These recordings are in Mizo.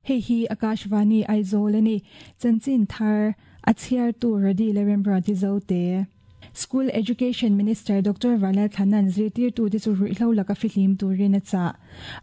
Hei hi Akashvani Aizawl a ni. Chanchin thar a chhiartu Rody Leremruati Zote. School Education Minister Doctor Vanlalthlana'n zirtirtute chu ruihhlo laka fihlim turin a chah.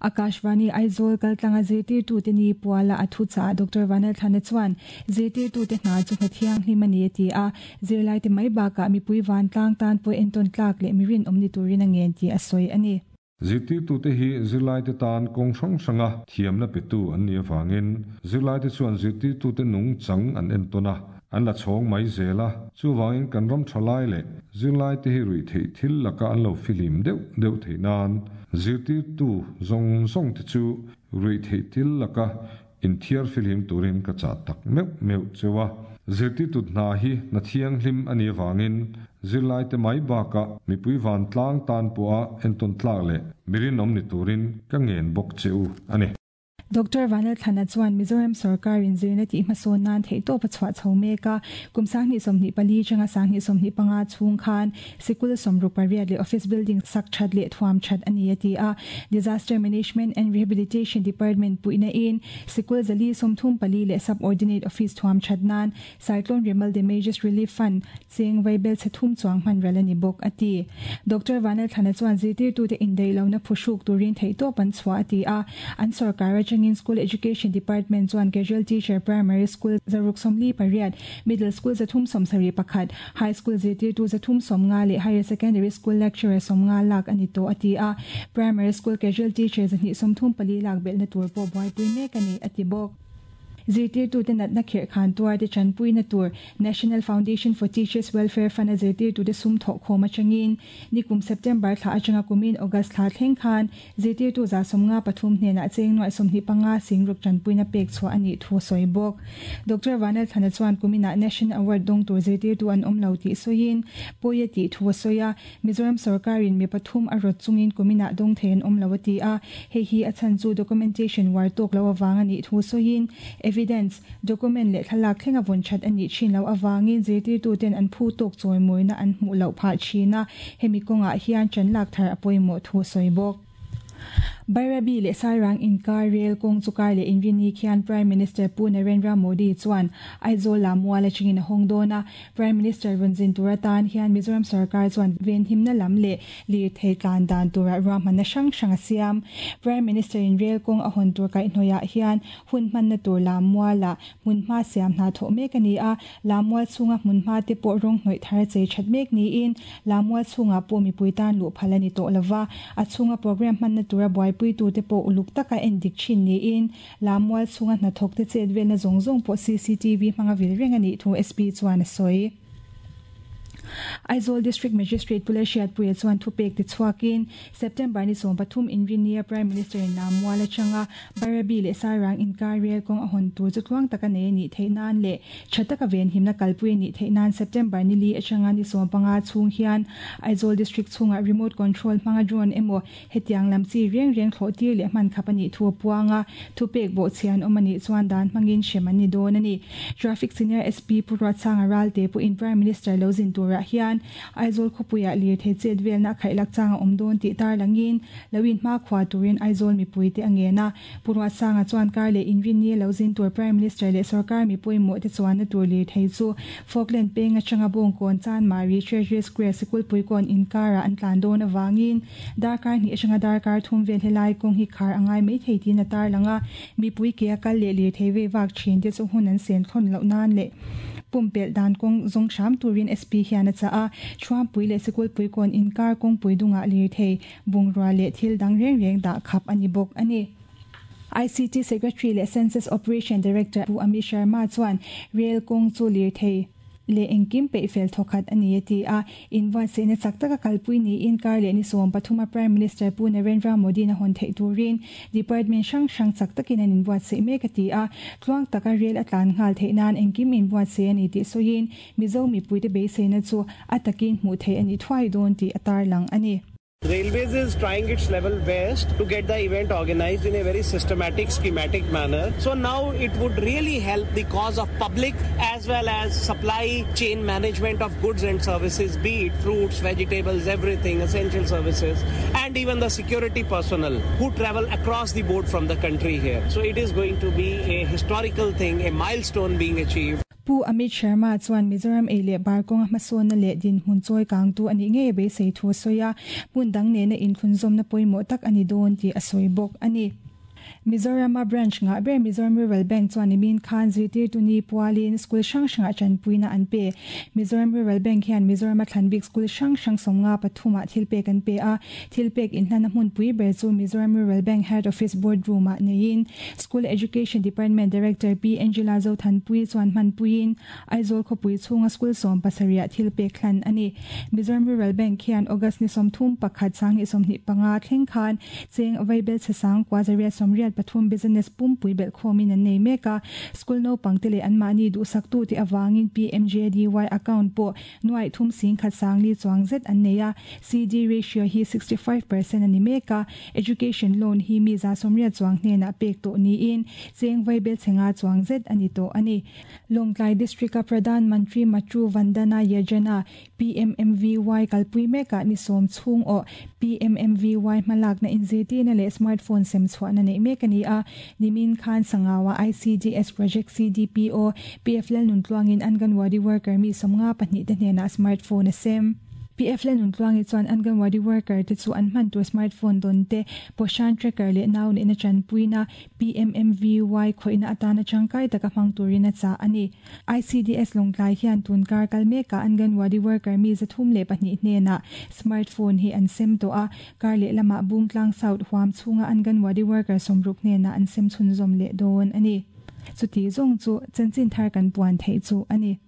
Akashvani Aizawl kaltlanga zirtirtute ni puala a thu chah Doctor Vanlalthlana chuan zirtirtute hna chu hna thianghlim a ni a ti a, zirlaite mai bakah mipui vantlang tan pawh entawn tlak leh mi rinawm ni turin a ngen tih a sawi a ni. Zirtirtute hi zirlaite tan kawng hrang hranga thiamna petu an nih avangin zirlaite chuan zirtirtute nungchang an entawn a, an la chhawng mai zel a. Chuvangin kan ram thalai leh zirlaite hi ruihtheih thil laka an lo fihlim deuh deuh theih nan zirtirtu zawng zawngte chu ruihtheih thil laka Inthiar fihlim turin ka chah tak meuh meuh cheu a, zirtirtu hna hi hna thianghlim a nih avangin zirlaite mai bakah mipui vantlang tan pawha entawn tlak leh mi rinawm ni turin ka ngen bawk che u a ni. Doctor Vanlalthlana chuan Mizoram sorkarin zirna tih hmasawn nan theihtawp a chhuah chho mek a, kum 2024 atanga 2025 chhung khan Sikul 68 leh office building sak that leh thuam that a ni a ti a. Disaster Management and Rehabilitation Department puihna in sikul 434 leh sub-ordinate office thuam that nan Cyclone Remal Damages Relief Fund cheng vaibel chhe thum chuang hman ral a ni bawk a ti. Doctor Vanlalthlana chuan zirtirtute indaih lohna phuhruk turin theihtawp an chhuah a ti a. An sorkar atangin School Education Department chuan Casual Teacher Primary School 648, Middle School 371, High School zirtirtu 350 leh Higher Secondary School Lecturer 50 lak a ni tawh a ti a, Primary School Casual Teacher 234 lak belhna tur pawh buaipui mek a ni, a ti bawk. Zirtirtute natna khirh khan tuarte tanpuina tur National Foundation for Teachers Welfare Fund-a zirtirtute sum thawhkhawm atangin nikum September thla atanga kumin August thla thleng khan Zirtirtu 53 hnenah cheng nuaih 25 singruk tanpuina pek chhuah a nih thu a sawi bawk. Doctor Vanlalthlana chuan kuminah National Award dawng tur zirtirtu an awm lo tih sawiin pawi a tih thu a sawi a, Mizoram sorkarin mi pathum a rawt chungin kuminah dawng thei an awm lo a ti a, hei hi a chhan chu documentation uar tawk lo avang a nih thu sawiin evidence, document leh thlalak thleng a vawn that a nih thin loh avangin zirtirtuten an phu tawk chawimawina an hmuh loh phah thin a, Hemi kawngah hian ṭan lak thar a pawimawh thu a sawi bawk. Bairabi leh Sairang inkar rel kawng chu kar leh inrini khian Prime Minister Pu Narendra Modi chuan Aizawl ah mual atangin a hawng dawn a. Prime Minister rawn zin tur atan hian Mizoram sorkar chuan venhimna lam leh lirthei tlan dan turah ruahmanna hrang hrang a siam. Prime Minister in rel kawng a hawn tur kaihhnawihah hian hun hmanna tur lam mualah Hmunhma siam hna thawh mek a ni a, Lamual chhunga hmunhma te pawh rawng hnawih thar chei that mek niin Lamual chhungah pawh mipui tan luh phal a ni tawh lova, a chhunga program hmanna tura buaipuitute pawh uluk taka en dik thin niin Lamual chhunga hnathawkte chet velna zawng zawng pawh cctv hmanga vil reng a nih thu SP chuan a sawi. Aizawl District Magistrate Pu Lalhriatpuia chuan thupek ti chhuakin September ni 13 inrinnia Prime Minister in Lamual atanga Bairabi leh Sairang inkar rel kawng a hawn tur chu tluang taka nei a nih theih nan leh tha taka venhimna kalpui a nih theih nan September ni li atanga ni 15 chhung hian Aizawl District chhungah remote control hmanga drone emaw hetiang lam chi reng reng thlawh tir leh hman khap a nih thu a puang a, thupek bawhchhia an awm a nih chuan dan hmangin hrem an ni dawn a ni. Traffic Senior SP Pu Ruatsanga Ralte pawhin Prime Minister lo zin turah hian Aizawl khawpuiah lirthei chet velna a khaihlak chang a awm dawn tih tarlangin lo inhmakhua turin Aizawl mipuite a ngen a. Pu Ruatsanga chuan kar leh inrinni a lo zin tur Prime Minister leh sorkar mi pawimawhte chuanna tur lirthei chu Falkland peng atanga Bawngkawn Chanmari Treasury Square Sikulpui kawn inkarah an tlan dawn avangin darkar hnih atanga darkar thum vel helai kawng hi khar a ngai maithei tiin a tarlang a. Mipui ke a kal leh lirthei vei vak thin te chu hun an sen thlawn loh nan leh pumpelh dan kawng zawng hram turin SP hian a chah a. Thuampui leh Sikulpui kawn inkar kawngpui dungah lirthei bungrua leh thil dang reng reng dah khap a ni bawk a ni. ICT Secretary leh Census Operation Director Pu Amit Sharma chuan rel kawng chu lirthei leh engkim peih fel thawkhat a ni a ti a. Inbuatsaihna chak taka kalpui niin kar leh ni 13 a Prime Minister Pu Narendra Modi-in a hawn theih turin Department hrang hrang chak takin an inbuatsaih mek a ti a. Tluang taka rel a tlan nghal theih nan engkim inbuatsaih a ni tih sawiin Mizo mipuite beiseina chu a takin hmuh theih a ni thuai dawn tih a tarlang a ni. Railways is trying its level best to get the event organized in a very systematic, schematic manner. So now it would really help the cause of public as well as supply chain management of goods and services, be it fruits, vegetables, everything, essential services, and even the security personnel who travel across the board from the country here. So it is going to be a historical thing, a milestone being achieved. Pu Amit Sharma chuan Mizoram ei leh bar kawnga hmasawnna leh dinhmun chawi kangtu a nih ngei beisei thu a sawi a, hmun dang nena inthlunzawmna pawimawh tak a ni dawn tih a sawi bawk a ni. Mizorama branch ngah ber Mizoram Rural Bank chuan nimin khan zirtirtu ni pualin school hrang hrangah tanpuina an pe. Mizoram Rural Bank hian Mizorama thlanbik school hrang hrang sawmnga pathumah thilpek an pe a, thilpek inhlana hmunpui ber chu Mizoram Rural Bank Head Office Board Room-ah neiin School Education Department Director Pi Angela Zothanpuii chuan hmanpuiin Aizawl khawpui chhunga school 70 ah thil pek hlan a ni. Mizoram Rural Bank hian August ni 31 2025 thleng khan cheng vaibel chhe sang kua zariat 83 business pumpui belhkhawmin an nei mek a. School naupangte leh anmahni duhsaktu tih avangin PMJDY account pawh Nuaih thum sing khat sang li chuang zet an nei a, CD ratio hi 65% a ni mek a, education loan hi mi 180 chuang hnenah pek tawh niin cheng vaibel chhe nga chuang zet a ni tawh a ni. Lawngtlai District-a Pradhan Mantri Matru Vandana Yojana, PMMVY, kalpui mekah ni sawm chhung awh PMMVY hmalakna inzirtirna leh smartphone sem chhuahna neih mek a ni a, nimin khan Sangawa ICDS Project CDPO, PF Lalnuntluangin Anganwadi worker mi 52 te hnenah smartphone a sem. PF Lalnuntluangi chuan Anganwadi worker te chu an hman tur smartphone dawn te, Poshan tracker leh nau neihna tanpuina PMMVY khawihna atana tangkai taka hmang turin a chah a ni. ICDS Lawngtlai hian tun kar kal mekah Anganwadi worker mi 302 hnenah smartphone hi an sem tawh a, kar lehlamah Bungtlang South huam chhunga Anganwadi worker 60 hnenah an sem chhunzawm leh dawn a ni. Chuti zawng chu chanchin thar kan puan theih chu a ni.